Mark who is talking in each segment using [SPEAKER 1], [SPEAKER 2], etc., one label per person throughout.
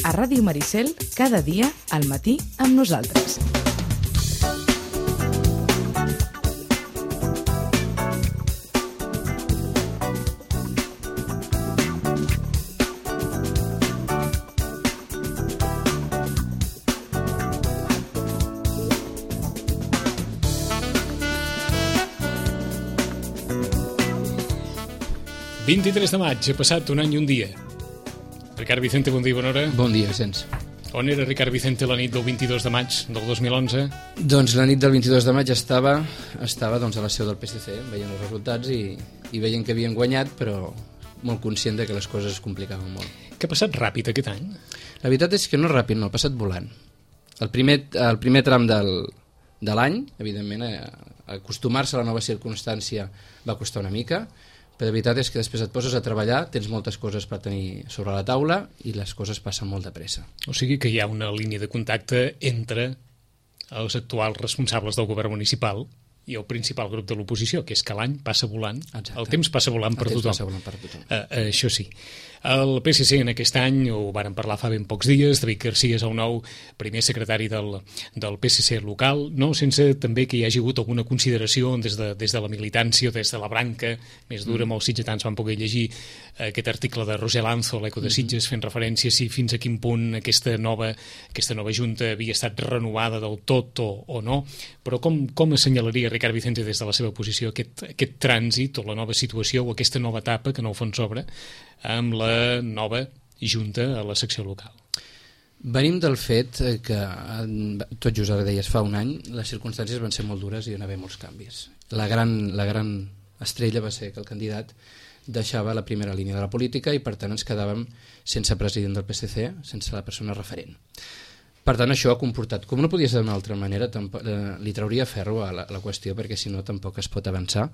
[SPEAKER 1] a Ràdio Maricel, cada dia, al matí, amb nosaltres.
[SPEAKER 2] El 23 de maig, ha passat un any i un dia. Ricard Vicente, bon dia i bona hora.
[SPEAKER 3] Bon dia, Vicenç.
[SPEAKER 2] On era Ricard Vicente la nit del 22 de maig del 2011?
[SPEAKER 3] Doncs la nit del 22 de maig estava doncs, a la seu del PSC, veient els resultats i veient que havien guanyat, però molt conscient de que les coses es complicaven molt.
[SPEAKER 2] Què ha passat ràpid aquest any?
[SPEAKER 3] La veritat és que no ràpid, no, ha passat volant. El primer tram de l'any, evidentment, acostumar-se a la nova circumstància va costar una mica, però la veritat és que després et poses a treballar, tens moltes coses per tenir sobre la taula i les coses passen molt de pressa.
[SPEAKER 2] O sigui que hi ha una línia de contacte entre els actuals responsables del govern municipal i el principal grup de l'oposició, que és que l'any passa volant.
[SPEAKER 3] Exacte.
[SPEAKER 2] El temps passa volant per tothom.
[SPEAKER 3] Passa volant per tothom.
[SPEAKER 2] Això sí. El PSC en aquest any, ho varen parlar fa ben pocs dies, David Garcia és el nou primer secretari del PSC local, no sense també que hi hagi hagut alguna consideració des de la militància, des de la branca més dura, molts sitgetans van poder llegir aquest article de Roser Lanzo, l'Eco de Sitges, fent referència a si fins a quin punt aquesta nova junta havia estat renovada del tot o no, però com assenyalaria Ricard Vicente des de la seva posició aquest trànsit o la nova situació o aquesta nova etapa que en el fons s'obre amb la nova junta a la secció local?
[SPEAKER 3] Venim del fet que, tot just ara deies, fa un any, les circumstàncies van ser molt dures i hi va haver molts canvis. La gran estrella va ser que el candidat deixava la primera línia de la política i per tant ens quedàvem sense president del PSC, sense la persona referent. Per tant, això ha comportat, com no podia ser d'una altra manera, li trauria ferro a la qüestió perquè si no tampoc es pot avançar.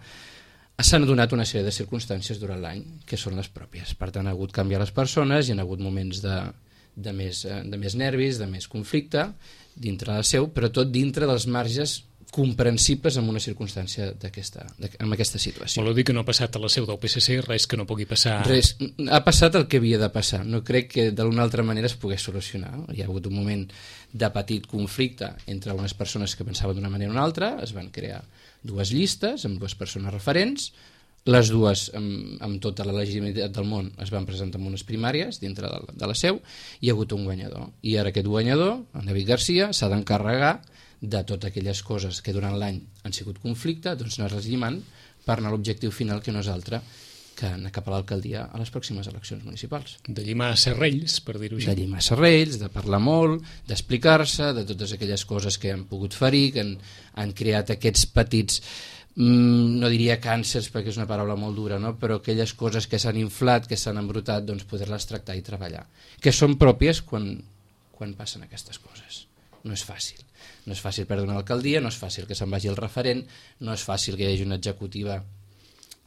[SPEAKER 3] S'han donat una sèrie de circumstàncies durant l'any que són les pròpies. Per tant, ha hagut canviar les persones, hi ha hagut moments de més nervis, de més conflicte dintre de la seu, però tot dintre dels marges comprensibles en una circumstància en aquesta situació.
[SPEAKER 2] Voleu dir que no ha passat a la seu del PSC res que no pugui passar?
[SPEAKER 3] Res. Ha passat el que havia de passar. No crec que d'una altra manera es pogués solucionar. Hi ha hagut un moment de petit conflicte entre unes persones que pensaven d'una manera o una altra, es van crear dues llistes amb dues persones referents, les dues amb tota la legitimitat del món es van presentar en unes primàries dintre de la seu, hi ha hagut un guanyador i ara aquest guanyador, en David Garcia, s'ha d'encarregar de totes aquelles coses que durant l'any han sigut conflicte, doncs anar-les llimant per anar a l'objectiu final que no és altre que anar cap a l'alcaldia a les pròximes eleccions municipals.
[SPEAKER 2] De llimar serrells, per dir-ho així.
[SPEAKER 3] De llimar serrells, de parlar molt, d'explicar-se, de totes aquelles coses que han pogut ferir, que han creat aquests petits, no diria càncers perquè és una paraula molt dura, no? Però aquelles coses que s'han inflat, que s'han embrutat, doncs poder-les tractar i treballar. Que són pròpies quan passen aquestes coses. No és fàcil. No és fàcil perdre una alcaldia, no és fàcil que se'n vagi el referent, no és fàcil que hi hagi una executiva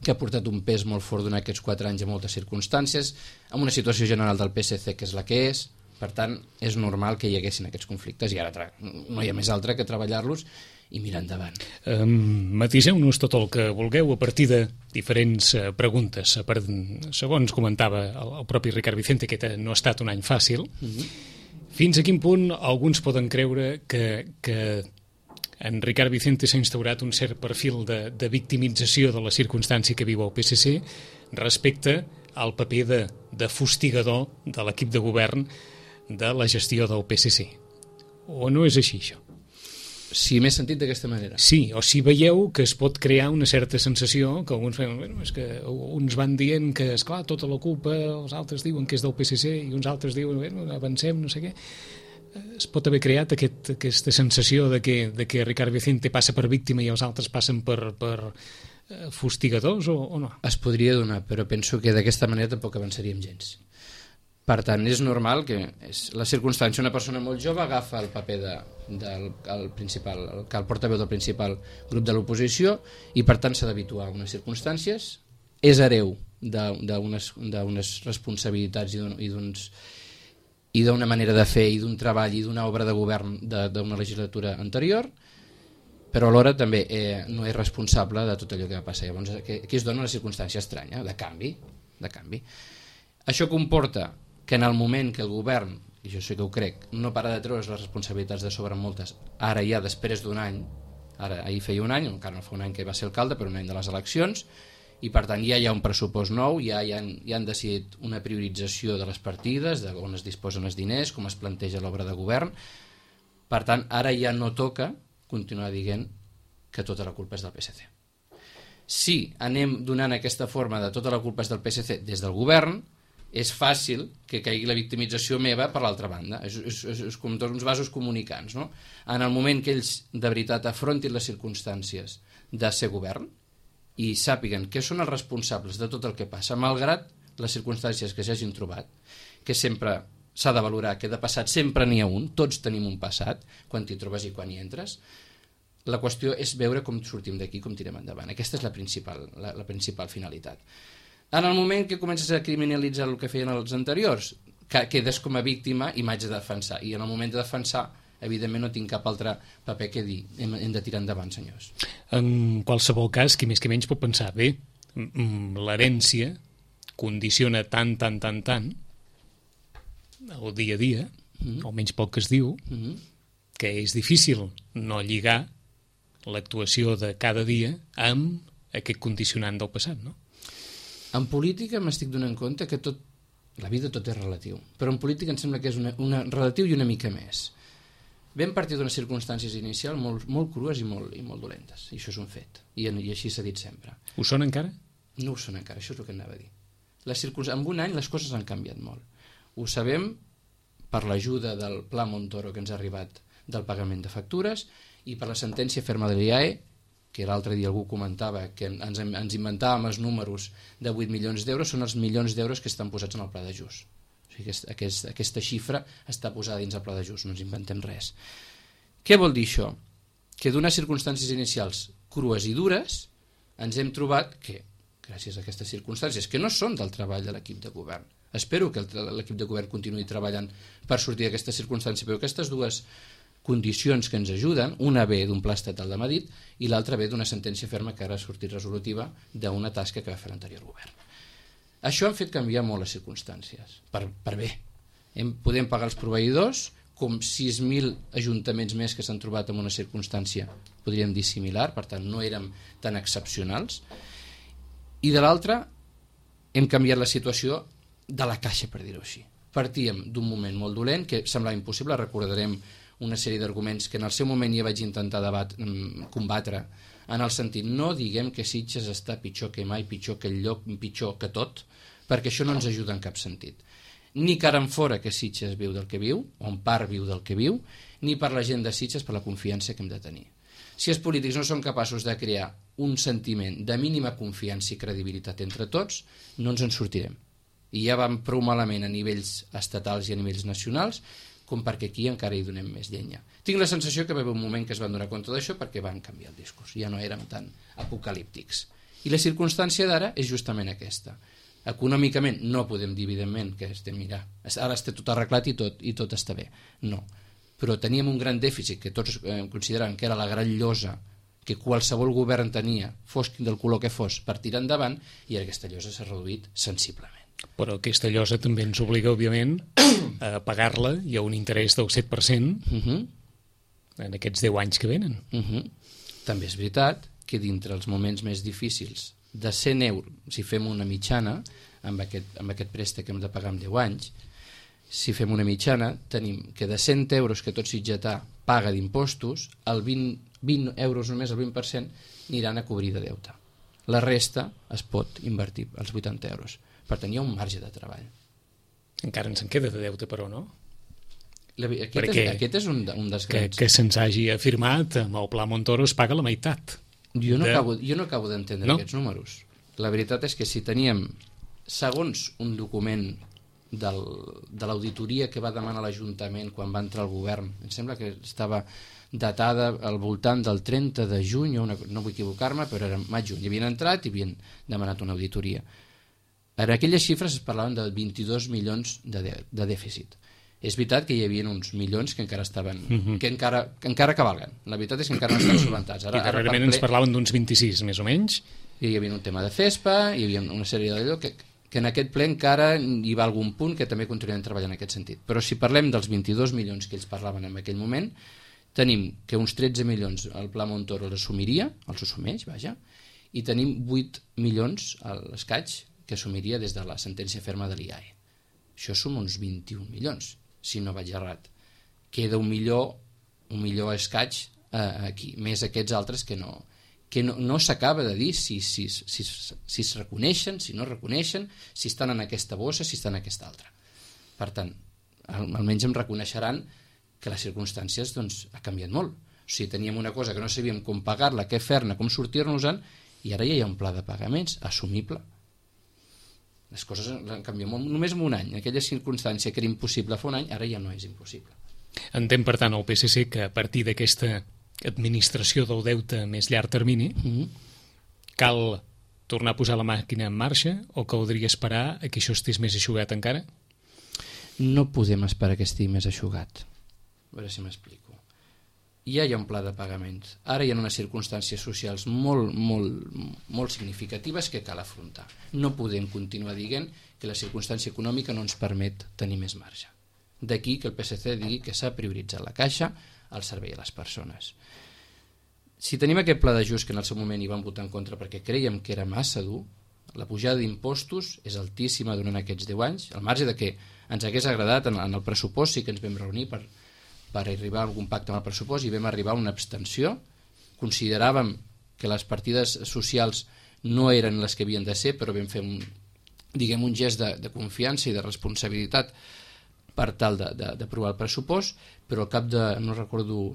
[SPEAKER 3] que ha portat un pes molt fort durant aquests 4 anys a moltes circumstàncies, amb una situació general del PSC que és la que és, per tant, és normal que hi haguessin aquests conflictes i ara no hi ha més altre que treballar-los i mirar endavant.
[SPEAKER 2] Matiseu-nos tot el que vulgueu a partir de diferents preguntes. Segons comentava el propi Ricard Vicente, que no ha estat un any fàcil, fins a quin punt alguns poden creure que en Ricard Vicente s'ha instaurat un cert perfil de victimització de la circumstància que viu el PSC respecte al paper de fustigador de l'equip de govern de la gestió del PSC. O no és així, això?
[SPEAKER 3] Si m'he sentit d'aquesta manera.
[SPEAKER 2] Sí, o si veieu que es pot crear una certa sensació que alguns feien, és que uns van dient que, esclar, tota la culpa, els altres diuen que és del PSC i uns altres diuen, avancem, no sé què. Es pot haver creat aquesta sensació de que Ricard Vicente passa per víctima i els altres passen per fustigadors o no?
[SPEAKER 3] Es podria donar, però penso que d'aquesta manera tampoc avançaríem gens. Per tant, és normal que la circumstància, una persona molt jove agafa el paper el portaveu del principal grup de l'oposició i per tant s'ha d'habituar a unes circumstàncies, és hereu d'unes responsabilitats i d'una manera de fer i d'un treball i d'una obra de govern d'una legislatura anterior, però alhora també no és responsable de tot allò que va passar. Llavors aquí es dona una circumstància estranya de canvi. Això comporta que en el moment que el govern i jo sé que ho crec, no para de treure's les responsabilitats de sobre moltes, ara ja després d'un any, ahir feia un any, encara no fa un any que va ser alcalde, però un any de les eleccions, i per tant ja hi ha un pressupost nou, ja han decidit una priorització de les partides, on es disposen els diners, com es planteja l'obra de govern. Per tant, ara ja no toca continuar dient que tota la culpa és del PSC. Si anem donant aquesta forma de tota la culpa és del PSC des del govern, és fàcil que caigui la victimització meva per l'altra banda. És com tots uns vasos comunicants, no? En el moment que ells de veritat afrontin les circumstàncies de ser govern i sàpiguen que són els responsables de tot el que passa, malgrat les circumstàncies que s'hagin trobat, que sempre s'ha de valorar que de passat sempre n'hi ha un, tots tenim un passat, quan t'hi trobes i quan hi entres. La qüestió és veure com sortim d'aquí, com tirem endavant. Aquesta és la principal finalitat. En el moment que comences a criminalitzar el que feien els anteriors, quedes com a víctima i m'haig de defensar. I en el moment de defensar, evidentment no tinc cap altre paper que dir. Hem de tirar endavant, senyors.
[SPEAKER 2] En qualsevol cas, qui més que menys pot pensar, bé, l'herència condiciona tant el dia a dia, almenys pel que es diu, que és difícil no lligar l'actuació de cada dia amb aquest condicionant del passat, no?
[SPEAKER 3] En política m'estic donant compte que la vida tot és relatiu, però en política em sembla que és una relatiu i una mica més. Vam partir d'unes circumstàncies inicials molt crues i molt dolentes, i això és un fet, i així s'ha dit sempre.
[SPEAKER 2] Ho són encara?
[SPEAKER 3] No ho són encara, això és el que anava a dir. En un any les coses han canviat molt. Ho sabem per l'ajuda del Pla Montoro que ens ha arribat del pagament de factures i per la sentència ferma de l'IAE, que l'altre dia algú comentava que ens inventàvem els números de 8 milions d'euros, són els milions d'euros que estan posats en el pla d'ajust. O sigui, aquesta xifra està posada dins el pla d'ajust, no ens inventem res. Què vol dir això? Que d'unes circumstàncies inicials crues i dures ens hem trobat que, gràcies a aquestes circumstàncies, que no són del treball de l'equip de govern, espero que l'equip de govern continuï treballant per sortir d'aquesta circumstància, però aquestes dues condicions que ens ajuden, una ve d'un pla estatal de Madrid i l'altra ve d'una sentència ferma que ara ha sortit resolutiva d'una tasca que va fer l'anterior govern. Això ha fet canviar molt les circumstàncies, per bé. Podem pagar els proveïdors, com 6.000 ajuntaments més que s'han trobat en una circumstància, podríem dir similar, per tant no érem tan excepcionals, i de l'altra hem canviat la situació de la caixa, per dir-ho així. Partíem d'un moment molt dolent, que semblava impossible, recordarem una sèrie d'arguments que en el seu moment ja vaig intentar combatre, en el sentit, no diguem que Sitges està pitjor que mai, pitjor que el lloc, pitjor que tot, perquè això no ens ajuda en cap sentit. Ni cara en fora que Sitges viu del que viu, o en part viu del que viu, ni per la gent de Sitges per la confiança que hem de tenir. Si els polítics no són capaços de crear un sentiment de mínima confiança i credibilitat entre tots, no ens en sortirem. I ja vam prou malament a nivells estatals i a nivells nacionals, com perquè aquí encara hi donem més llenya. Tinc la sensació que va haver un moment que es van donar compte d'això perquè van canviar el discurs, ja no érem tan apocalíptics. I la circumstància d'ara és justament aquesta. Econòmicament no podem dir, evidentment, que ara està tot arreglat i tot està bé. No. Però teníem un gran dèficit que tots consideràvem que era la gran llosa que qualsevol govern tenia, fos del color que fos, per tirar endavant, i aquesta llosa s'ha reduït sensiblement.
[SPEAKER 2] Però aquesta llosa també ens obliga, òbviament, a pagar-la i a un interès del 7% en aquests 10 anys que venen.
[SPEAKER 3] També és veritat que dintre els moments més difícils de 100 euros, si fem una mitjana, amb aquest préstec que hem de pagar en 10 anys, si fem una mitjana, tenim que de 100 euros que tot sitgetà paga d'impostos, el 20 euros només, el 20%, aniran a cobrir de deute. La resta es pot invertir, els 80 euros. Per tant, hi ha un marge de treball.
[SPEAKER 2] Encara ens en queda de deute, però, no?
[SPEAKER 3] Aquest és un dels grans.
[SPEAKER 2] Que se'ns hagi afirmat, amb el Pla Montoro es paga la meitat.
[SPEAKER 3] Jo no acabo d'entendre aquests números. La veritat és que si teníem, segons un document de l'auditoria que va demanar l'Ajuntament quan va entrar al govern, em sembla que estava datada al voltant del 30 de juny, no vull equivocar-me, però era maig-juny. Hi havien entrat i havien demanat una auditoria. En aquelles xifres es parlaven de 22 milions de dèficit. És veritat que hi havia uns milions que encara estaven, que encara cavalguen. La veritat és que encara no estan solventats.
[SPEAKER 2] I darrerament ens parlaven d'uns 26, més o menys.
[SPEAKER 3] Hi havia un tema de CESPA, hi havia una sèrie d'allò que que en aquest ple encara hi va algun punt que també continuem treballant en aquest sentit. Però si parlem dels 22 milions que ells parlaven en aquell moment, tenim que uns 13 milions el Pla Montoro els assumiria, els assumeix, vaja, i tenim 8 milions a l'escaig que assumiria des de la sentència ferma de l'IAE. Això són uns 21 milions, si no vaig errat. Queda un milió escaig aquí, més aquests altres que no s'acaba de dir si es reconeixen, si no reconeixen, si estan en aquesta bossa, si estan en aquesta altra. Per tant, almenys em reconeixeran que les circumstàncies ha canviat molt. O sigui, teníem una cosa que no sabíem com pagar-la, què fer-ne, com sortir-nos-en, i ara ja hi ha un pla de pagaments assumible. Les coses han canviat molt, només en un any. En aquella circumstància que era impossible fa un any, ara ja no és impossible.
[SPEAKER 2] Entén, per tant, el PSC que a partir d'aquesta administració del deute a més llarg termini cal tornar a posar la màquina en marxa o caldria esperar a que això estés més eixugat encara?
[SPEAKER 3] No podem esperar que estigui més eixugat. A veure si m'explico. Ja hi ha un pla de pagaments. Ara hi ha unes circumstàncies socials molt significatives que cal afrontar. No podem continuar dient que la circumstància econòmica no ens permet tenir més marge. D'aquí que el PSC digui que s'ha prioritzat la caixa al servei a les persones. Si tenim aquest pla d'ajust que en el seu moment hi vam votar en contra perquè creiem que era massa dur, la pujada d'impostos és altíssima durant aquests 10 anys, al marge de que ens hagués agradat en el pressupost, sí que ens vam reunir per arribar a algun pacte amb el pressupost i vam arribar a una abstenció. Consideràvem que les partides socials no eren les que havien de ser, però vam fer un gest de confiança i de responsabilitat per tal d'aprovar el pressupost, però al cap de,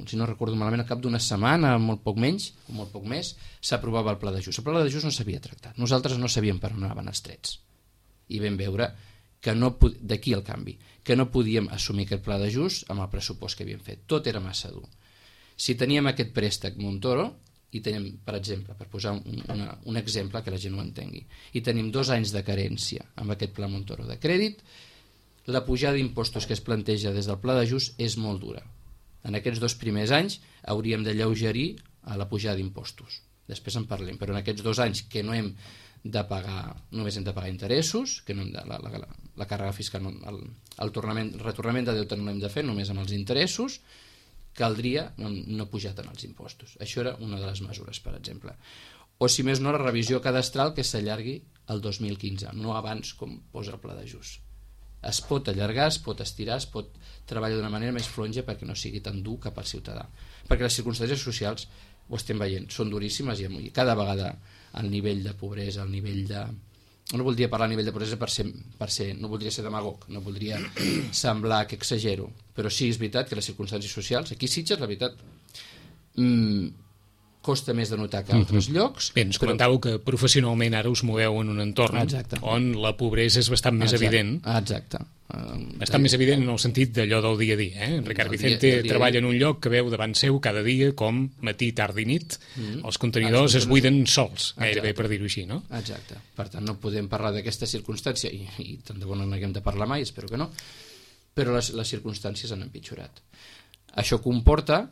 [SPEAKER 3] si no recordo malament, al cap d'una setmana, molt poc menys, o molt poc més, s'aprovava el pla d'ajust. El pla d'ajust no s'havia tractat. Nosaltres no sabíem per on anaven els trets. I vam veure que d'aquí el canvi, que no podíem assumir aquest pla d'ajust amb el pressupost que havíem fet. Tot era massa dur. Si teníem aquest préstec Montoro, i tenim, per exemple, per posar un exemple que la gent ho entengui, i tenim 2 anys de carència amb aquest pla Montoro de crèdit, la pujada d'impostos que es planteja des del pla d'ajust és molt dura. En aquests 2 primers anys hauríem de lleugerir a la pujada d'impostos. Després en parlem, però en aquests 2 anys que no hem de pagar, només hem de pagar interessos, que no hem de, la càrrega fiscal, el retornament de deute no l'hem de fer, només amb els interessos, caldria no pujar tant els impostos. Això era una de les mesures, per exemple. O si més no, la revisió cadastral que s'allargui al 2015, no abans com posa el pla d'ajust. Es pot allargar, es pot estirar, es pot treballar d'una manera més flonja perquè no sigui tan dur cap al ciutadà. Perquè les circumstàncies socials, ho estem veient, són duríssimes i cada vegada el nivell de pobresa, el nivell de... No voldria parlar a nivell de pobresa per ser no voldria ser demagog, no voldria semblar que exagero, però sí és veritat que les circumstàncies socials, aquí a Sitges, la veritat, costa més de notar que a altres llocs.
[SPEAKER 2] Bé, ens comentàveu que professionalment ara us moveu en un entorn on la pobresa és bastant més evident.
[SPEAKER 3] Exacte.
[SPEAKER 2] Bastant més evident en el sentit d'allò del dia a dia. Ricard Vicente treballa en un lloc que veu davant seu cada dia com matí, tarda i nit els contenidors es buiden sols, gairebé per dir-ho així, no?
[SPEAKER 3] Exacte. Per tant, no podem parlar d'aquesta circumstància i tant de bo no n'haguem de parlar mai, espero que no, però les circumstàncies han empitjorat. Això comporta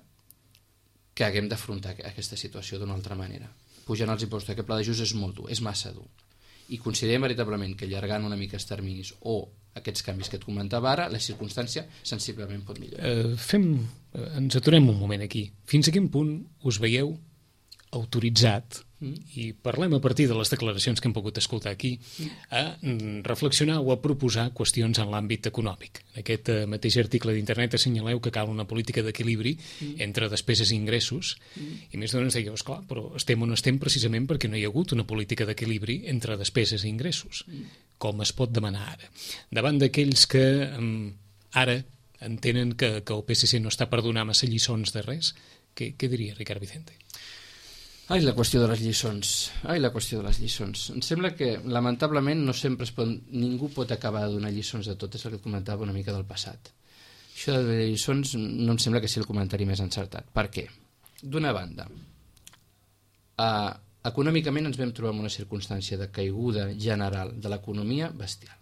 [SPEAKER 3] que haguem d'afrontar aquesta situació d'una altra manera. Pujant els impostos, aquest pla d'ajust és molt dur, és massa dur. I considerem veritablement que allargant una mica els terminis o aquests canvis que et comentava ara, la circumstància sensiblement pot millorar.
[SPEAKER 2] Ens aturem un moment aquí. Fins a quin punt us veieu autoritzat, i parlem a partir de les declaracions que hem pogut escoltar aquí, a reflexionar o a proposar qüestions en l'àmbit econòmic. En aquest mateix article d'internet assenyaleu que cal una política d'equilibri entre despeses i ingressos, i més d'una ens dèieu, esclar, però estem on estem precisament perquè no hi ha hagut una política d'equilibri entre despeses i ingressos. Com es pot demanar ara? Davant d'aquells que ara entenen que el PSC no està per donar massa lliçons de res, què diria Ricard Vicente?
[SPEAKER 3] Ai, la qüestió de les lliçons. Em sembla que, lamentablement, no sempre ningú pot acabar de donar lliçons de tot, és el que comentava una mica del passat. Això de lliçons no em sembla que sigui el comentari més encertat. Per què? D'una banda, econòmicament ens vam trobar en una circumstància de caiguda general de l'economia bestial.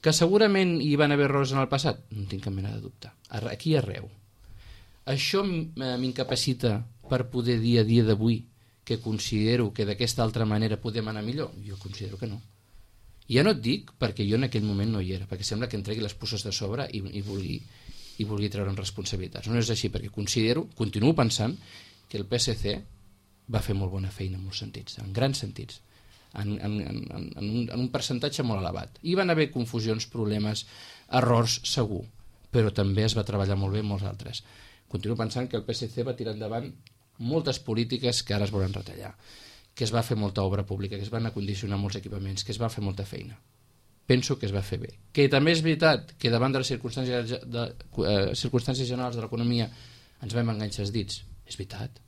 [SPEAKER 3] Que segurament hi van haver errors en el passat? No tinc cap mena de dubte. Aquí arreu. Això m'incapacita per poder dir a dia d'avui que considero que d'aquesta altra manera podem anar millor? Jo considero que no. Ja no et dic perquè jo en aquell moment no hi era, perquè sembla que em tregui les puces de sobre i vulgui treure'n responsabilitats. No és així, perquè continuo pensant que el PSC va fer molt bona feina en molts sentits, en grans sentits, en un percentatge molt elevat. Hi van haver confusions, problemes, errors, segur, però també es va treballar molt bé en molts altres. Continuo pensant que el PSC va tirar endavant moltes polítiques que ara es volen retallar, que es va fer molta obra pública, que es van acondicionar molts equipaments, que es va fer molta feina. Penso que es va fer bé. Que també és veritat que davant de les circumstàncies generals de l'economia ens vam enganxar els dits. És veritat.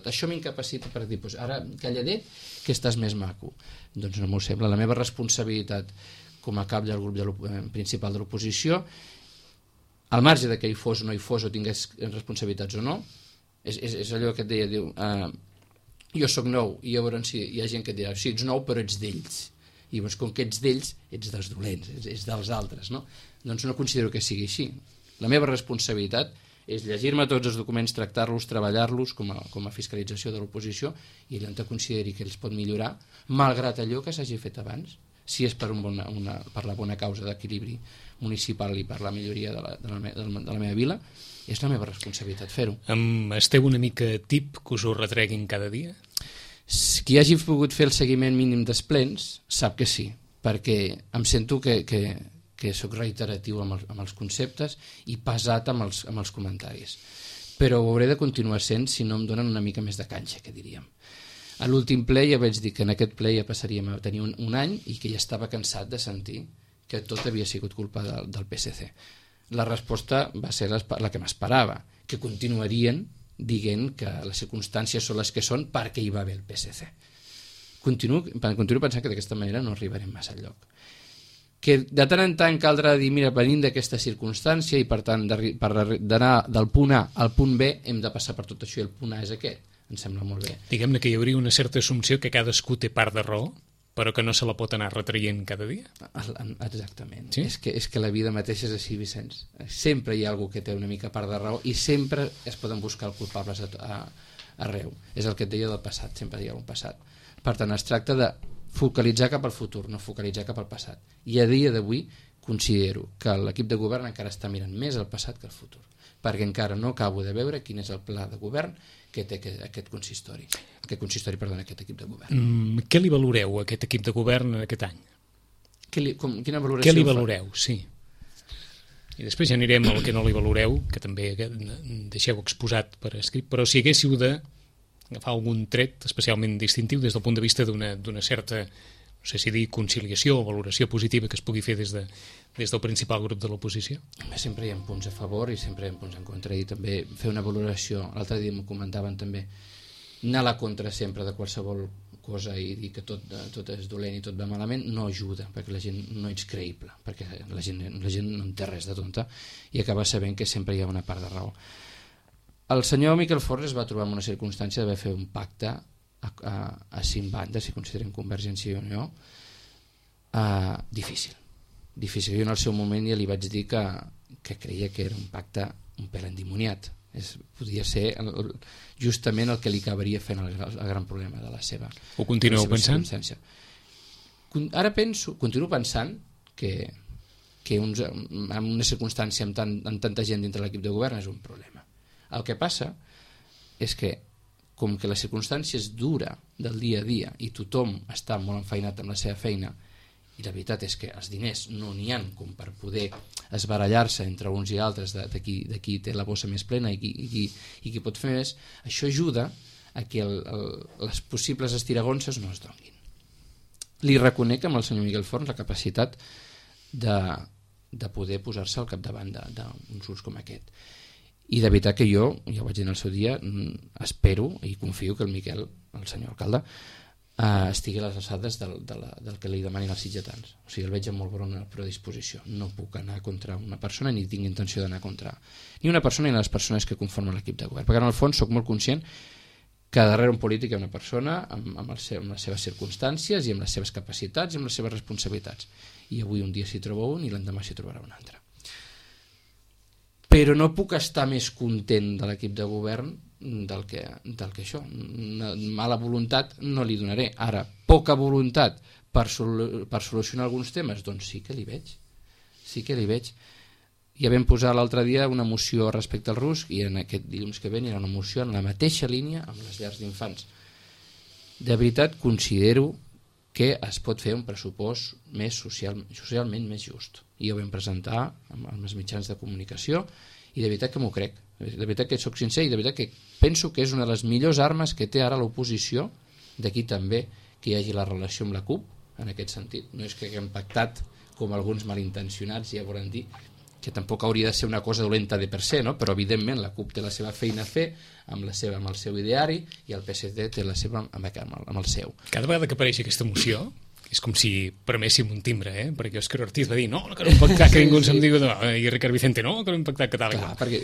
[SPEAKER 3] Això m'incapacita per dir, doncs ara calladet que estàs més maco. Doncs no m'ho sembla. La meva responsabilitat com a cap del grup principal de l'oposició, al marge de que hi fos o no hi fos o tingués responsabilitats o no, és allò que et deia, diu, jo sóc nou i llavors hi ha gent que et dirà, sí, ets nou però ets d'ells. I llavors, com que ets d'ells, ets dels dolents, és dels altres, no? Doncs no considero que sigui així. La meva responsabilitat és llegir-me tots els documents, tractar-los, treballar-los com a fiscalització de l'oposició i allò on consideri que els pot millorar, malgrat allò que s'hagi fet abans, si és per la bona causa d'equilibri municipal i per la milloria de la meva vila, és la meva responsabilitat fer-ho.
[SPEAKER 2] Esteu una mica tip que us ho retreguin cada dia?
[SPEAKER 3] Qui hagi pogut fer el seguiment mínim dels plens sap que sí, perquè em sento que sóc reiteratiu amb els conceptes i pesat amb els comentaris. Però ho hauré de continuar sent si no em donen una mica més de canxa, que diríem. A l'últim ple ja vaig dir que en aquest ple ja passaríem a tenir un any i que ja estava cansat de sentir que tot havia sigut culpa del PSC. La resposta va ser la que m'esperava, que continuarien dient que les circumstàncies són les que són perquè hi va haver el PSC. Continuo pensant que d'aquesta manera no arribarem massa enlloc. Que de tant en tant caldrà dir, mira, venim d'aquesta circumstància i per tant per d'anar del punt A al punt B hem de passar per tot això i el punt A és aquest. Em sembla molt bé.
[SPEAKER 2] Diguem-ne que hi hauria una certa assumpció que cadascú té part de raó, però que no se la pot anar retraient cada dia.
[SPEAKER 3] Exactament.
[SPEAKER 2] Sí?
[SPEAKER 3] És que la vida mateixa és així, Vicenç. Sempre hi ha algú que té una mica part de raó i sempre es poden buscar culpables arreu. És el que et deia del passat, sempre hi ha un passat. Per tant, es tracta de focalitzar cap al futur, no focalitzar cap al passat. I a dia d'avui considero que l'equip de govern encara està mirant més al passat que al futur, perquè encara no acabo de veure quin és el pla de govern que té aquest equip de govern.
[SPEAKER 2] Què li valoreu a aquest equip de govern aquest any?
[SPEAKER 3] Quina valoració
[SPEAKER 2] què li valoreu, sí. I després ja anirem al que no li valoreu, que també deixeu exposat per escrit, però si haguéssiu d'agafar algun tret especialment distintiu des del punt de vista d'una certa, no sé si dir conciliació o valoració positiva que es pugui fer des del principal grup de l'oposició?
[SPEAKER 3] Sempre hi ha punts a favor i sempre hi ha punts en contra, i també fer una valoració, l'altre dia m'ho comentaven també, anar a la contra sempre de qualsevol cosa i dir que tot és dolent i tot va malament no ajuda, perquè la gent no ets creïble, perquè la gent no en té res de tonta i acaba sabent que sempre hi ha una part de raó. El senyor Miquel Forn es va trobar en una circumstància d'haver fet un pacte a 5 bandes, si considerem Convergència i Unió, difícil. Jo en el seu moment ja li vaig dir que creia que era un pacte un pèl endimoniat. Podia ser justament el que li acabaria fent el gran problema de la seva.
[SPEAKER 2] Ho continueu pensant?
[SPEAKER 3] Ara continuo pensant que en una circumstància amb tanta gent dintre l'equip de govern és un problema. El que passa és que com que la circumstància és dura del dia a dia i tothom està molt enfeinat amb la seva feina i la veritat és que els diners no n'hi ha com per poder esbarallar-se entre uns i altres de qui té la bossa més plena i qui pot fer més, això ajuda a que les possibles estiragonses no es donguin. Li reconec amb el senyor Miquel Forn la capacitat de poder posar-se al capdavant d'uns grups com aquest. I de veritat que jo, ja ho vaig dir en el seu dia, espero i confio que el Miquel, el senyor alcalde, estigui a les alçades del que li demanin els sitgetans. O sigui, el veig amb molt bona predisposició. No puc anar contra una persona ni tinc intenció d'anar contra ni una persona ni les persones que conformen l'equip de govern. Perquè en el fons soc molt conscient que darrere un polític hi ha una persona amb les seves circumstàncies i amb les seves capacitats i amb les seves responsabilitats. I avui un dia s'hi troba un i l'endemà s'hi trobarà un altre. Però no puc estar més content de l'equip de govern del que això. Mala voluntat no li donaré. Ara, poca voluntat per solucionar alguns temes, doncs sí que li veig. Ja vam posar l'altre dia una moció respecte al RUSC i en aquest dilluns que ve hi ha una moció en la mateixa línia amb les llars d'infants. De veritat considero que es pot fer un pressupost més socialment més just. I ho vam presentar amb els mitjans de comunicació i de veritat que m'ho crec. De veritat que soc sincer i de veritat que penso que és una de les millors armes que té ara l'oposició, d'aquí també que hi hagi la relació amb la CUP, en aquest sentit. No és que haguem pactat com alguns malintencionats, ja volen dir, que tampoc hauria de ser una cosa dolenta de per se, no? Però evidentment la CUP té la seva feina a fer amb el seu ideari i el PSC té la seva amb el seu.
[SPEAKER 2] Cada vegada que apareix aquesta moció és com si preméssim un timbre, perquè Òscar Ortiz va dir no que no hem pactat, que ningú se'm digui i Ricard Vicente no que no hem pactat, que tal.
[SPEAKER 3] Clar, perquè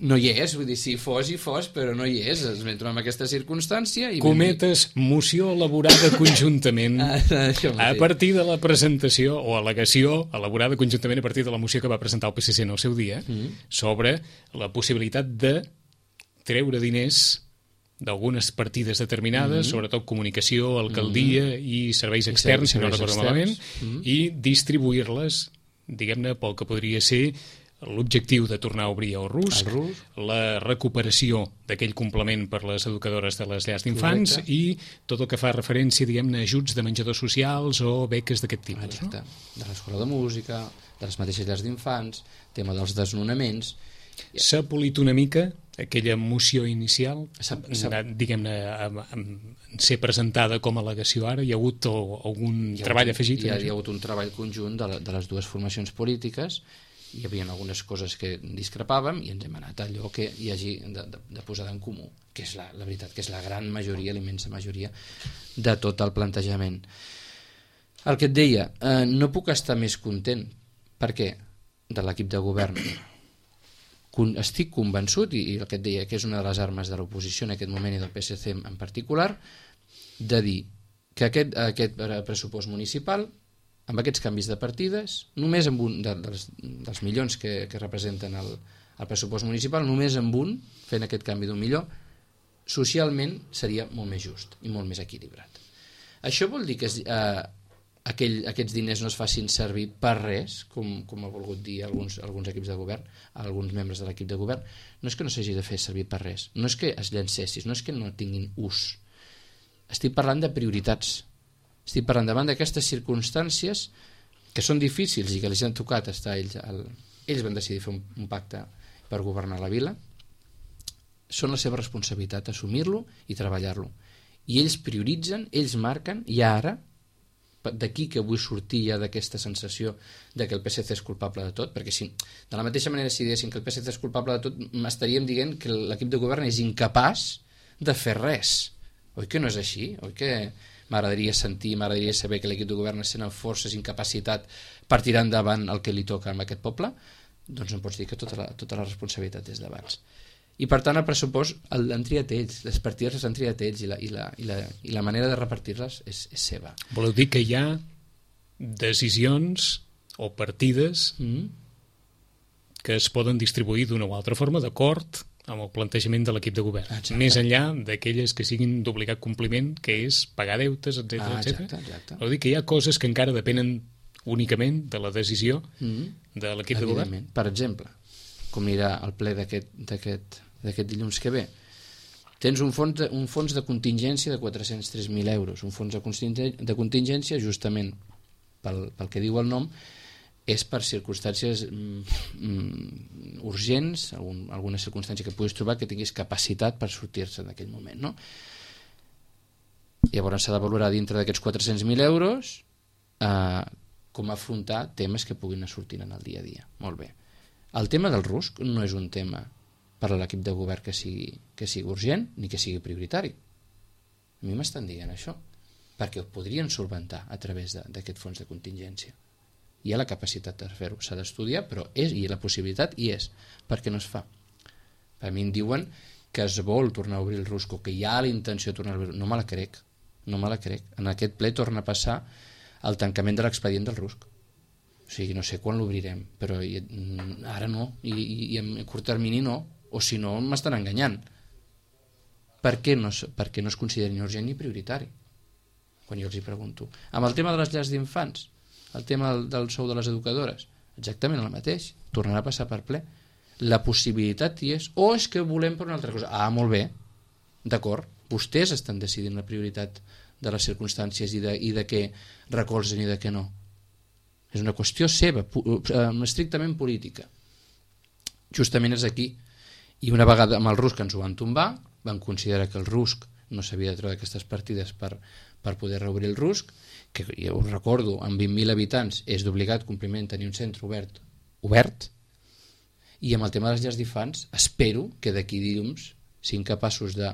[SPEAKER 3] no hi és, vull dir, si fos, però no hi és, es vam trobar en aquesta circumstància.
[SPEAKER 2] Cometes, moció elaborada conjuntament a partir de la presentació o al·legació elaborada conjuntament a partir de la moció que va presentar el PSC en el seu dia sobre la possibilitat de treure diners d'algunes partides determinades, sobretot comunicació, alcaldia i serveis externs, si no recordo malament, i distribuir-les, diguem-ne, pel que podria ser l'objectiu de tornar a obrir el RUSC, la recuperació d'aquell complement per les educadores de les llars d'infants i tot el que fa referència, diguem-ne, a ajuts de menjadors socials o beques d'aquest tipus.
[SPEAKER 3] Exacte. De l'escola de música, de les mateixes llars d'infants, tema dels desnonaments.
[SPEAKER 2] S'ha polit una mica aquella moció inicial, diguem-ne, ser presentada com a al·legació ara? Hi ha hagut algun treball afegit?
[SPEAKER 3] Hi ha hagut un treball conjunt de les dues formacions polítiques, hi havia algunes coses que discrepàvem i ens hem anat a allò que hi hagi de posada en comú, que és la veritat, que és la gran majoria, l'immensa majoria de tot el plantejament. El que et deia, no puc estar més content. Per què? De l'equip de govern. Estic convençut, i el que et deia que és una de les armes de l'oposició en aquest moment i del PSC en particular, de dir que aquest pressupost municipal, amb aquests canvis de partides, només amb un dels milions que representen el pressupost municipal, només amb un, fent aquest canvi d'un milió, socialment seria molt més just i molt més equilibrat. Això vol dir que aquests diners no es facin servir per res, com ha volgut dir alguns equips de govern, alguns membres de l'equip de govern. No és que no s'hagi de fer servir per res, no és que es llancessis, no és que no tinguin ús. Estic parlant de prioritats. Estic parlant davant d'aquestes circumstàncies que són difícils i que els han tocat estar ells van decidir fer un pacte per governar la vila. Són la seva responsabilitat assumir-lo i treballar-lo. I ells prioritzen, ells marquen, i ara d'aquí que vull sortir ja d'aquesta sensació de que el PSC és culpable de tot, perquè si de la mateixa manera si diguéssim que el PSC és culpable de tot, estaríem dient que l'equip de govern és incapaç de fer res. Oi que no és així? Oi que m'agradaria saber que l'equip de govern és amb forces, incapacitat per tirar endavant el que li toca a aquest poble? Doncs no pots dir que tota la responsabilitat és d'abans. I per tant el pressupost l'han triat ells, les partides les han triat ells i la manera de repartir-les és seva.
[SPEAKER 2] Voleu dir que hi ha decisions o partides que es poden distribuir d'una o altra forma d'acord amb el plantejament de l'equip de govern. Exacte. Més enllà d'aquelles que siguin d'obligat compliment, que és pagar deutes, etc. Vol dir que hi ha coses que encara depenen únicament de la decisió de l'equip de govern?
[SPEAKER 3] Per exemple, com anirà el ple d'aquest dilluns que ve, tens un fons de contingència de 403.000 euros, un fons de contingència justament pel que diu el nom, és per circumstàncies urgents, alguna circumstància que puguis trobar que tinguis capacitat per sortir-se en aquell moment, no? Llavors s'ha de valorar dintre d'aquests 400.000 euros com afrontar temes que puguin anar sortint en el dia a dia. Molt bé. El tema del RUSC no és un tema per a l'equip de govern que sigui urgent ni que sigui prioritari. A mi m'estan dient això, perquè ho podrien solventar a través d'aquest fons de contingència. Hi ha la capacitat de fer-ho, s'ha d'estudiar, però i la possibilitat hi és. Per què no es fa? A mi em diuen que es vol tornar a obrir el RUSC o que hi ha la intenció de tornar a obrir. No me la crec. En aquest ple torna a passar el tancament de l'expedient del RUSC. O sigui, no sé quan l'obrirem, però ara no, i en curt termini no, o si no m'estan enganyant. Per què no es considera ni urgent ni prioritari? quan jo els hi pregunto. Amb el tema de les llars d'infants, el tema del sou de les educadores, exactament el mateix, tornarà a passar per ple. La possibilitat hi és, o és que volem per una altra cosa. Ah, molt bé, d'acord, vostès estan decidint la prioritat de les circumstàncies i de què recolzen i de què no. És una qüestió seva, estrictament política. Justament és aquí. I una vegada amb el RUSC ens ho van tombar, van considerar que el RUSC no s'havia de treure aquestes partides per poder reobrir el RUSC, que ja us recordo, amb 20.000 habitants és d'obligat compliment tenir un centre obert, i amb el tema de les llars d'infants espero que d'aquí dilluns siguin capaços de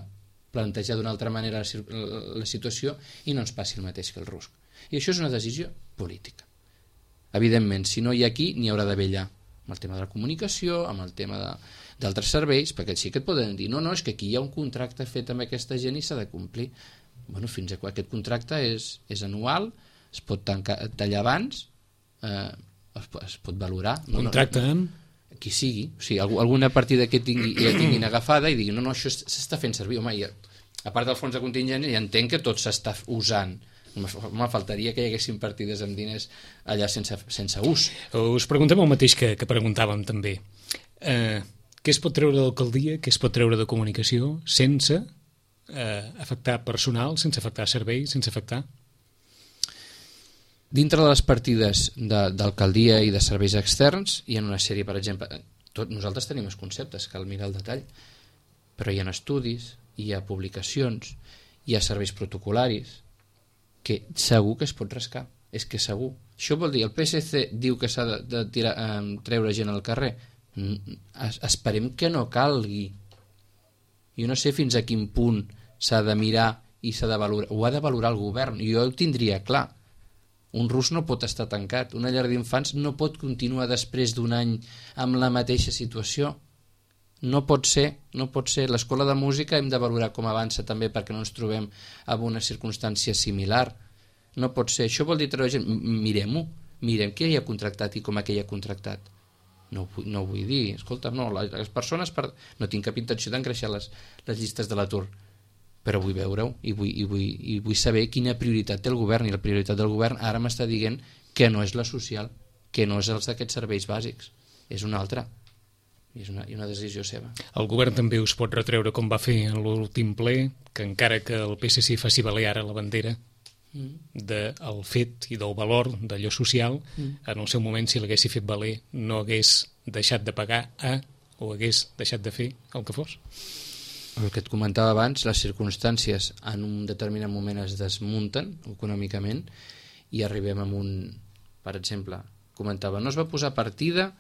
[SPEAKER 3] plantejar d'una altra manera la situació i no ens passi el mateix que el RUSC. I això és una decisió política. Evidentment, si no hi ha aquí, n'hi haurà d'haver allà, amb el tema de la comunicació, amb el tema d'altres serveis, perquè sí que et poden dir no, és que aquí hi ha un contracte fet amb aquesta gent i s'ha de complir. Bueno, fins a quan aquest contracte és anual, es pot tallar abans, es pot valorar.
[SPEAKER 2] Contracte amb?
[SPEAKER 3] Qui sigui, o sigui, alguna partida que ja tinguin agafada i diguin no, això s'està fent servir. Home, a part del fons de contingència ja entenc que tot s'està usant. Home, faltaria que hi haguessin partides amb diners allà sense ús.
[SPEAKER 2] Us preguntem el mateix que preguntàvem també. Què es pot treure de l'alcaldia, què es pot treure de comunicació sense afectar personal, sense afectar serveis, sense afectar...
[SPEAKER 3] Dintre de les partides d'alcaldia i de serveis externs hi ha una sèrie, per exemple, nosaltres tenim els conceptes, cal mirar el detall, però hi ha estudis, hi ha publicacions, hi ha serveis protocolaris, que segur que es pot rascar, és que segur. Això vol dir, el PSC diu que s'ha de treure gent al carrer, esperem que no calgui. Jo no sé fins a quin punt s'ha de mirar i s'ha de valorar, ho ha de valorar el govern, jo ho tindria clar. Un RUSC no pot estar tancat, una llar d'infants no pot continuar després d'un any amb la mateixa situació. No pot ser. L'escola de música hem de valorar com avança també perquè no ens trobem en una circumstància similar. No pot ser. Això vol dir treure gent. Mirem-ho. Mirem qui hi ha contractat i com hi ha contractat. No vull dir, escolta, no, les persones no tinc cap intenció d'engreixar les llistes de l'atur, però vull veure-ho i vull saber quina prioritat té el govern, i la prioritat del govern ara m'està dient que no és la social, que no és els d'aquests serveis bàsics, és una altra, i és una decisió seva.
[SPEAKER 2] El govern també us pot retreure, com va fer en l'últim ple, que encara que el PSC faci valer ara la bandera del fet i del valor d'allò social, en el seu moment, si l'haguessi fet valer, no hagués deixat de pagar o hagués deixat de fer el que fos.
[SPEAKER 3] El que et comentava abans, les circumstàncies en un determinat moment es desmunten econòmicament i arribem a per exemple, comentava, no es va posar partida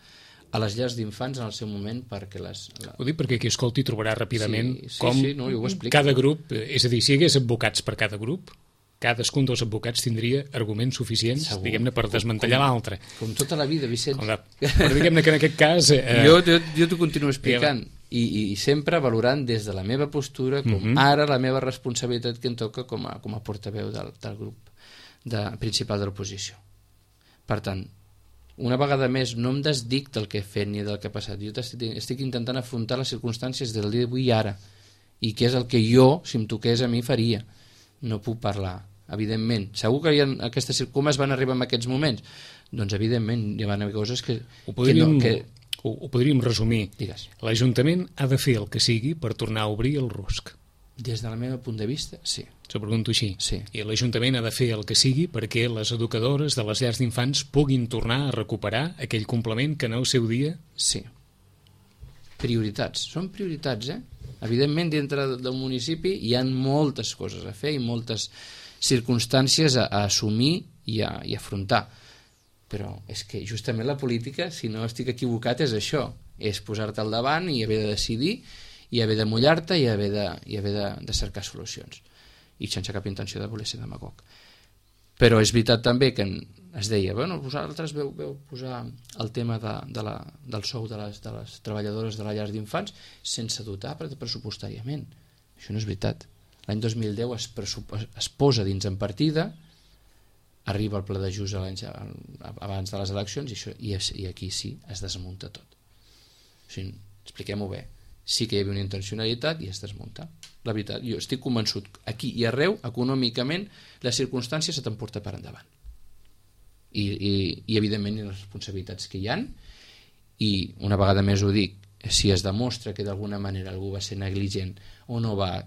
[SPEAKER 3] a les llars d'infants en el seu moment perquè
[SPEAKER 2] Ho dic perquè qui escolti trobarà ràpidament com
[SPEAKER 3] no, jo ho explico.
[SPEAKER 2] Cada grup, és a dir, si hi hagués advocats per cada grup, cadascun dels advocats tindria arguments suficients, diguem-ne, per desmantellar l'altre.
[SPEAKER 3] Com tota la vida, Vicenç.
[SPEAKER 2] Però diguem-ne que en aquest cas...
[SPEAKER 3] Jo t'ho continuo explicant. I sempre valorant des de la meva postura com ara la meva responsabilitat que em toca com a portaveu del grup principal de l'oposició. Per tant, una vegada més no em desdic del que he fet ni del que ha passat, jo estic intentant afrontar les circumstàncies del dia d'avui i ara, i què és el que jo, si em toqués a mi, faria. No puc parlar, evidentment. Segur que hi ha aquestes com es van arribar en aquests moments? Doncs evidentment hi van haver coses que
[SPEAKER 2] Ho podríem resumir.
[SPEAKER 3] Digues.
[SPEAKER 2] L'Ajuntament ha de fer el que sigui per tornar a obrir el RUSC.
[SPEAKER 3] Des del meu punt de vista, sí.
[SPEAKER 2] S'ho pregunto així.
[SPEAKER 3] Sí.
[SPEAKER 2] I l'Ajuntament ha de fer el que sigui perquè les educadores de les llars d'infants puguin tornar a recuperar aquell complement que en el seu dia...
[SPEAKER 3] Sí. Prioritats. Són prioritats, Evidentment, dintre del municipi hi ha moltes coses a fer i moltes circumstàncies a assumir i a afrontar. Però és que justament la política, si no estic equivocat, és això, és posar-te al davant i haver de decidir i haver de mullar-te i haver de cercar solucions, i sense cap intenció de voler ser demagog. Però és veritat també que es deia, bueno, vosaltres veu posar el tema del sou de les treballadores de les llars d'infants sense dotar pressupostàriament. Això no és veritat. L'any 2010 es posa dins en partida, arriba el pla d'ajust abans de les eleccions i aquí sí es desmunta tot. O sigui, expliquem-ho bé. sí que hi havia una intencionalitat i es desmunta. La veritat, jo estic convençut, aquí i arreu, econòmicament, les circumstàncies se t'emporten per endavant. I evidentment, les responsabilitats que hi han, i una vegada més ho dic, si es demostra que d'alguna manera algú va ser negligent o no va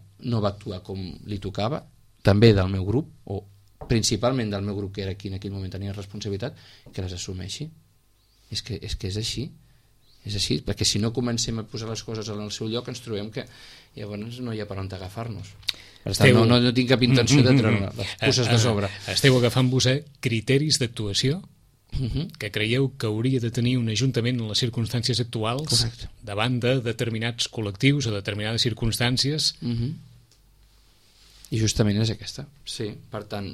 [SPEAKER 3] actuar com li tocava, també del meu grup, o principalment del meu grup que era qui en aquell moment tenia responsabilitat, que les assumeixi. És que és així. És així, perquè si no comencem a posar les coses en el seu lloc ens trobem que llavors no hi ha per on agafar-nos. Per tant, no tinc cap intenció de treure les puces de sobre.
[SPEAKER 2] Esteu agafant-vos criteris d'actuació que creieu que hauria de tenir un ajuntament en les circumstàncies actuals. Correcte. Davant de determinats col·lectius o determinades circumstàncies.
[SPEAKER 3] I justament és aquesta. Sí, per tant,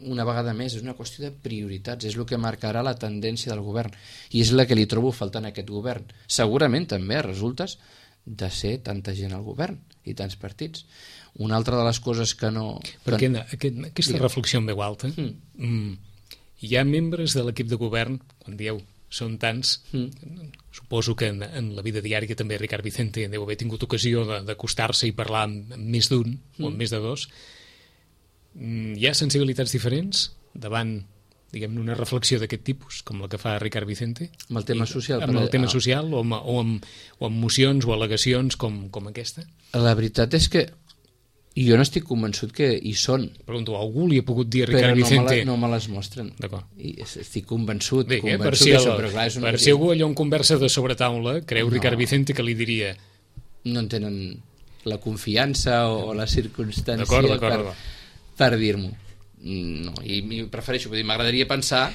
[SPEAKER 3] una vegada més, és una qüestió de prioritats, és el que marcarà la tendència del govern, i és la que li trobo faltant a aquest govern. Segurament també resultes de ser tanta gent al govern i tants partits. Una altra de les coses que no...
[SPEAKER 2] Perquè aquesta reflexió en veu alta, hi ha membres de l'equip de govern, quan dieu són tants, suposo que en la vida diària també Ricard Vicente deu haver tingut ocasió d'acostar-se i parlar amb més d'un o amb més de dos. Hi ha sensibilitats diferents davant, diguem-ne, una reflexió d'aquest tipus, com la que fa Ricard Vicente?
[SPEAKER 3] Amb el tema social.
[SPEAKER 2] Amb el tema social o amb mocions o al·legacions com aquesta?
[SPEAKER 3] La veritat és que jo no estic convençut que hi són.
[SPEAKER 2] Pregunto, algú li ha pogut dir a Ricard Vicente...
[SPEAKER 3] Però no me les mostren.
[SPEAKER 2] D'acord.
[SPEAKER 3] I estic convençut.
[SPEAKER 2] Bé, per si algú allò en conversa de sobretaula creu Ricard Vicente que li diria...
[SPEAKER 3] No en tenen la confiança o la circumstància per dir-m'ho. No, i prefereixo, vull dir, m'agradaria pensar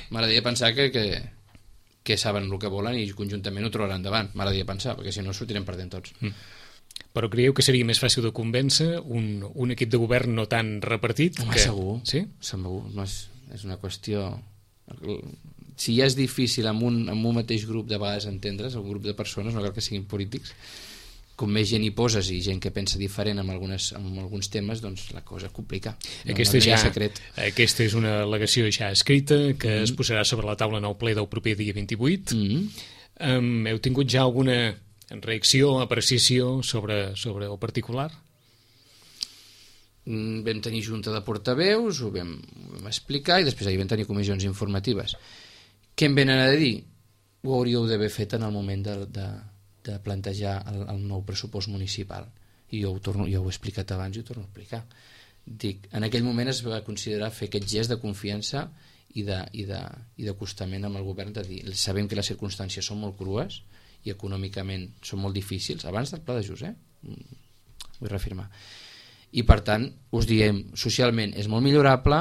[SPEAKER 3] que saben el que volen i conjuntament ho trobaran endavant, m'agradaria pensar, perquè si no sortirem perdent tots.
[SPEAKER 2] Però creieu que seria més fàcil de convèncer un equip de govern no tan repartit?
[SPEAKER 3] Home, segur. Sí? Segur. No és una qüestió... Si ja és difícil amb un mateix grup de vegades entendre's, un grup de persones, no cal que siguin polítics, com més gent hi poses i gent que pensa diferent amb alguns temes, doncs la cosa complica.
[SPEAKER 2] Aquesta és una al·legació ja escrita que es posarà sobre la taula en el ple del proper dia 28. Heu tingut ja alguna reacció, apreciació sobre el particular?
[SPEAKER 3] Vam tenir junta de portaveus, ho vam explicar i després ahir vam tenir comissions informatives. Què em venen a dir? Ho hauríeu d'haver fet en el moment de plantejar el nou pressupost municipal. I jo ho he explicat abans i ho torno a explicar. Dic, en aquell moment es va considerar fer aquest gest de confiança i d'acostament amb el govern, de dir, sabem que les circumstàncies són molt crues i econòmicament són molt difícils, abans del pla d'ajust, vull reafirmar. I per tant, us diem, socialment és molt millorable,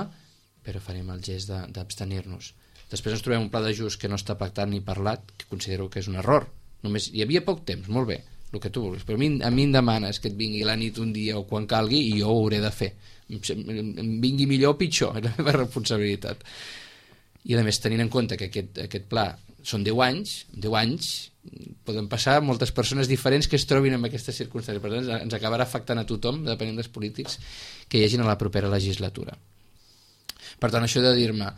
[SPEAKER 3] però farem el gest d'abstenir-nos. Després ens trobem un pla d'ajust que no està pactat ni parlat, que considero que és un error. Només hi havia poc temps, molt bé, el que tu vulguis, però a mi em demanes que et vingui la nit un dia o quan calgui i jo ho hauré de fer. Em vingui millor o pitjor, és la meva responsabilitat. I a més, tenint en compte que aquest pla són 10 anys, poden passar moltes persones diferents que es trobin en aquestes circumstàncies, per tant ens acabarà afectant a tothom, depenent dels polítics que hi hagin a la propera legislatura. Per tant, això de dir-me,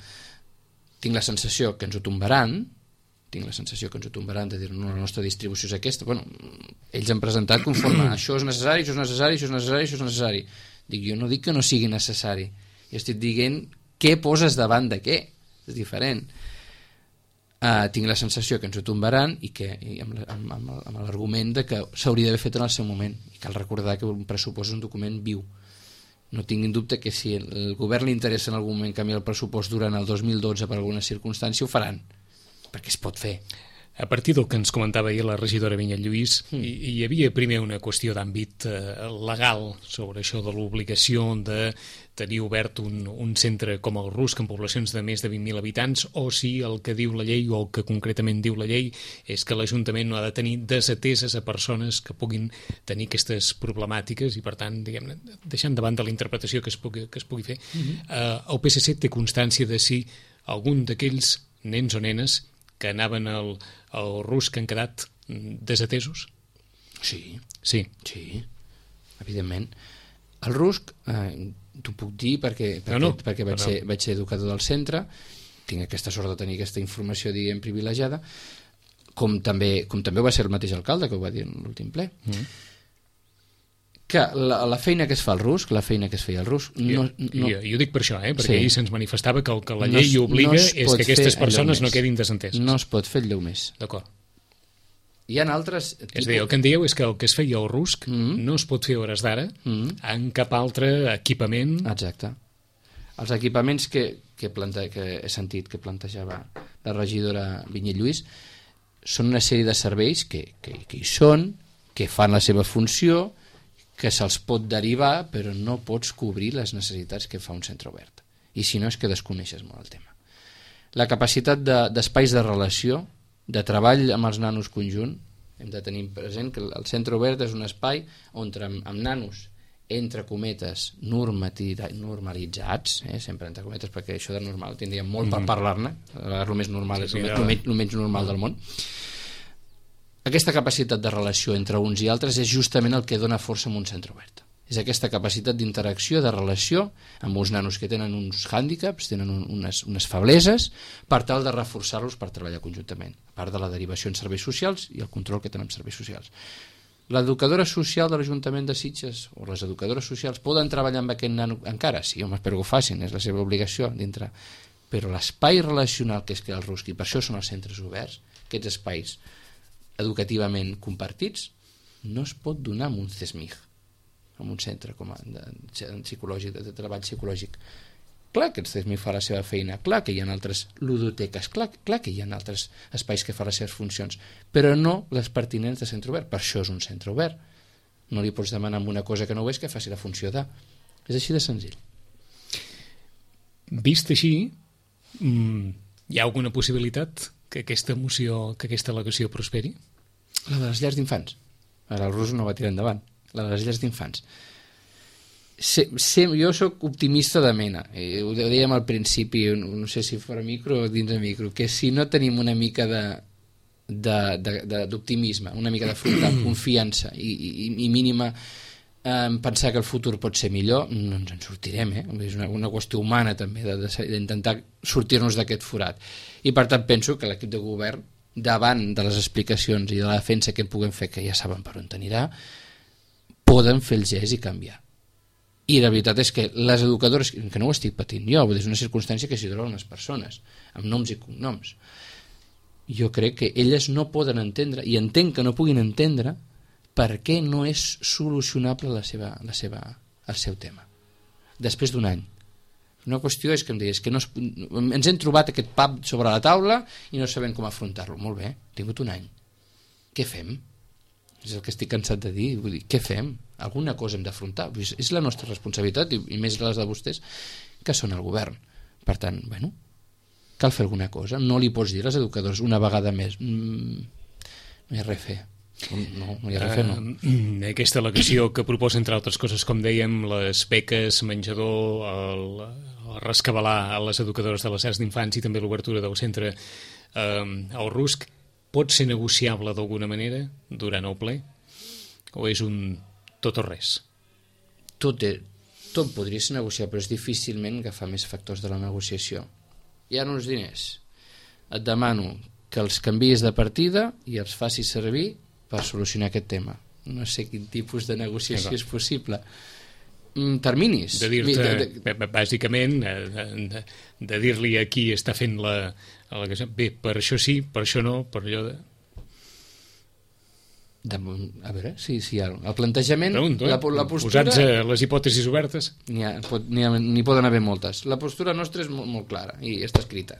[SPEAKER 3] tinc la sensació que ens ho tombaran, de dir, no, la nostra distribució és aquesta. Bueno, ells han presentat conforme això és necessari, això és necessari, això és necessari, això és necessari. Jo no dic que no sigui necessari, jo estic dient què poses davant de què, és diferent. Tinc la sensació que ens ho tombaran i amb l'argument de que s'hauria d'haver fet en el seu moment, i cal recordar que un pressupost és un document viu. No tinguin dubte que si el govern li interessa en algun moment canviar el pressupost durant el 2012 per alguna circumstància ho faran, perquè es pot fer.
[SPEAKER 2] A partir del que ens comentava ahir la regidora Vinyet Lluís, hi havia primer una qüestió d'àmbit legal sobre això de l'obligació de tenir obert un centre com el Rusc en poblacions de més de 20.000 habitants, o si el que diu la llei o el que concretament diu la llei és que l'Ajuntament no ha de tenir desateses a persones que puguin tenir aquestes problemàtiques i, per tant, diguem-ne, deixant davant de la interpretació que es pugui fer, el PSC té constància de si algun d'aquells nens o nenes que anaven al Rusc han quedat desatesos?
[SPEAKER 3] Sí, evidentment. El Rusc, t'ho puc dir perquè vaig ser educador del centre, tinc aquesta sort de tenir aquesta informació, diguem, privilegiada. com també va ser el mateix alcalde que ho va dir en l'últim ple, que la feina que es fa al RUSC, la feina que es feia al RUSC...
[SPEAKER 2] Jo ho dic per això, perquè ahir se'ns manifestava que el que la llei obliga és que aquestes persones no quedin desenteses.
[SPEAKER 3] No es pot fer el més.
[SPEAKER 2] D'acord.
[SPEAKER 3] Hi ha altres...
[SPEAKER 2] És a dir, el que em dieu és que el que es feia al RUSC no es pot fer a hores d'ara en cap altre equipament.
[SPEAKER 3] Exacte. Els equipaments que he sentit que plantejava la regidora Vinyet Lluís són una sèrie de serveis que hi són, que fan la seva funció, que se'ls pot derivar, però no pots cobrir les necessitats que fa un centre obert. I si no és que desconeixes molt el tema. La capacitat d'espais de relació, de treball amb els nanos conjunt, hem de tenir present que el centre obert és un espai on amb nanos, entre cometes, normalitzats, sempre entre cometes, perquè això de normal tindríem molt per parlar-ne, el més normal és el menys normal del món. Aquesta capacitat de relació entre uns i altres és justament el que dona força a un centre obert. És aquesta capacitat d'interacció, de relació amb uns nanos que tenen uns hàndicaps, tenen unes febleses, per tal de reforçar-los per treballar conjuntament, a part de la derivació en serveis socials i el control que tenen en serveis socials. L'educadora social de l'Ajuntament de Sitges o les educadores socials poden treballar amb aquest nano encara? Sí, home, espero que ho facin, és la seva obligació dintre. Però l'espai relacional que es crea al RUSC, i per això són els centres oberts, aquests espais educativament compartits, no es pot donar en un CESMIG, en un centre de treball psicològic. Clar que el CESMIG fa la seva feina, clar que hi ha altres ludoteques, clar que hi ha altres espais que fan les seves funcions, però no les pertinents de centre obert. Per això és un centre obert. No li pots demanar amb una cosa que no ho és que faci la funció de... És així de senzill.
[SPEAKER 2] Vist així, hi ha alguna possibilitat que aquesta moció, que aquesta al·legació prosperi?
[SPEAKER 3] La de les llars d'infants. Ara el RUSC no va tirar endavant. La de les llars d'infants. Jo sóc optimista de mena. Ho dèiem al principi, no sé si fora micro o dins de micro, que si no tenim una mica d'optimisme, una mica de confiança i mínima pensar que el futur pot ser millor, no ens en sortirem. És una qüestió humana també d'intentar sortir-nos d'aquest forat. I per tant penso que l'equip de govern, davant de les explicacions i de la defensa que en puguem fer, que ja saben per on anirà, poden fer el gest i canviar. I la veritat és que les educadores, que no ho estic patint jo, és una circumstància que s'hi troben les persones, amb noms i cognoms, jo crec que elles no poden entendre, i entenc que no puguin entendre, per què no és solucionable el seu tema després d'un any. Una qüestió és que em digués que ens hem trobat aquest pap sobre la taula i no sabem com afrontar-lo. Molt bé, hem tingut un any. Què fem? És el que estic cansat de dir. Vull dir, què fem? Alguna cosa hem d'afrontar. És la nostra responsabilitat, i més les de vostès, que són el govern. Per tant, bueno, cal fer alguna cosa. No li pots dir als educadors una vegada més no hi ha res a fer. No hi ha res a fer, no.
[SPEAKER 2] Aquesta al·legació que proposa, entre altres coses, com dèiem, les beques, menjador, el rescabalar a les educadores de les llars d'infants i també l'obertura del centre al RUSC, pot ser negociable d'alguna manera durant el ple? O és un tot o res?
[SPEAKER 3] Tot podria ser negociable, però és difícilment agafar més factors de la negociació. Hi ha uns diners. Et demano que els canviïs de partida i els facis servir per solucionar aquest tema. No sé quin tipus de negociació és possible. Terminis.
[SPEAKER 2] De dir-te, bàsicament, de dir-li a qui està fent la bé, per això sí, per això no, per allò de...
[SPEAKER 3] A veure, si hi ha el plantejament,
[SPEAKER 2] Pregunto,
[SPEAKER 3] la postura...
[SPEAKER 2] Posats les hipòtesis obertes.
[SPEAKER 3] N'hi poden haver moltes. La postura nostra és molt clara i està escrita.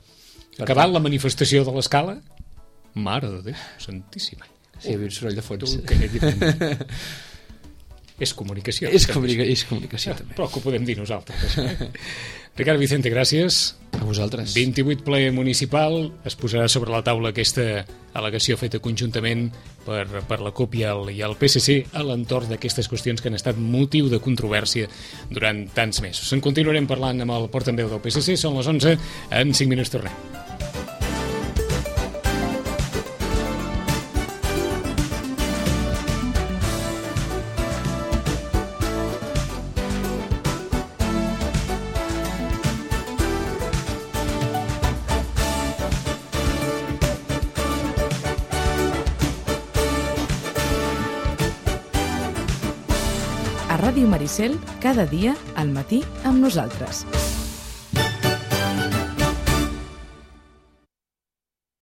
[SPEAKER 2] Acabat la manifestació de l'escala? Mare de Déu, santíssima.
[SPEAKER 3] Sí, hi havia un soroll de fons.
[SPEAKER 2] És comunicació.
[SPEAKER 3] És comunicació, també.
[SPEAKER 2] Però que ho podem dir nosaltres. Ricard Vicente, gràcies.
[SPEAKER 3] A vosaltres.
[SPEAKER 2] 28 ple municipal. Es posarà sobre la taula aquesta al·legació feta conjuntament per la CUP i el PSC a l'entorn d'aquestes qüestions que han estat motiu de controvèrsia durant tants mesos. En continuarem parlant amb el portaveu del PSC. Són les 11. En 5 minuts tornem.
[SPEAKER 1] Ràdio Maricel, cada dia al matí amb nosaltres.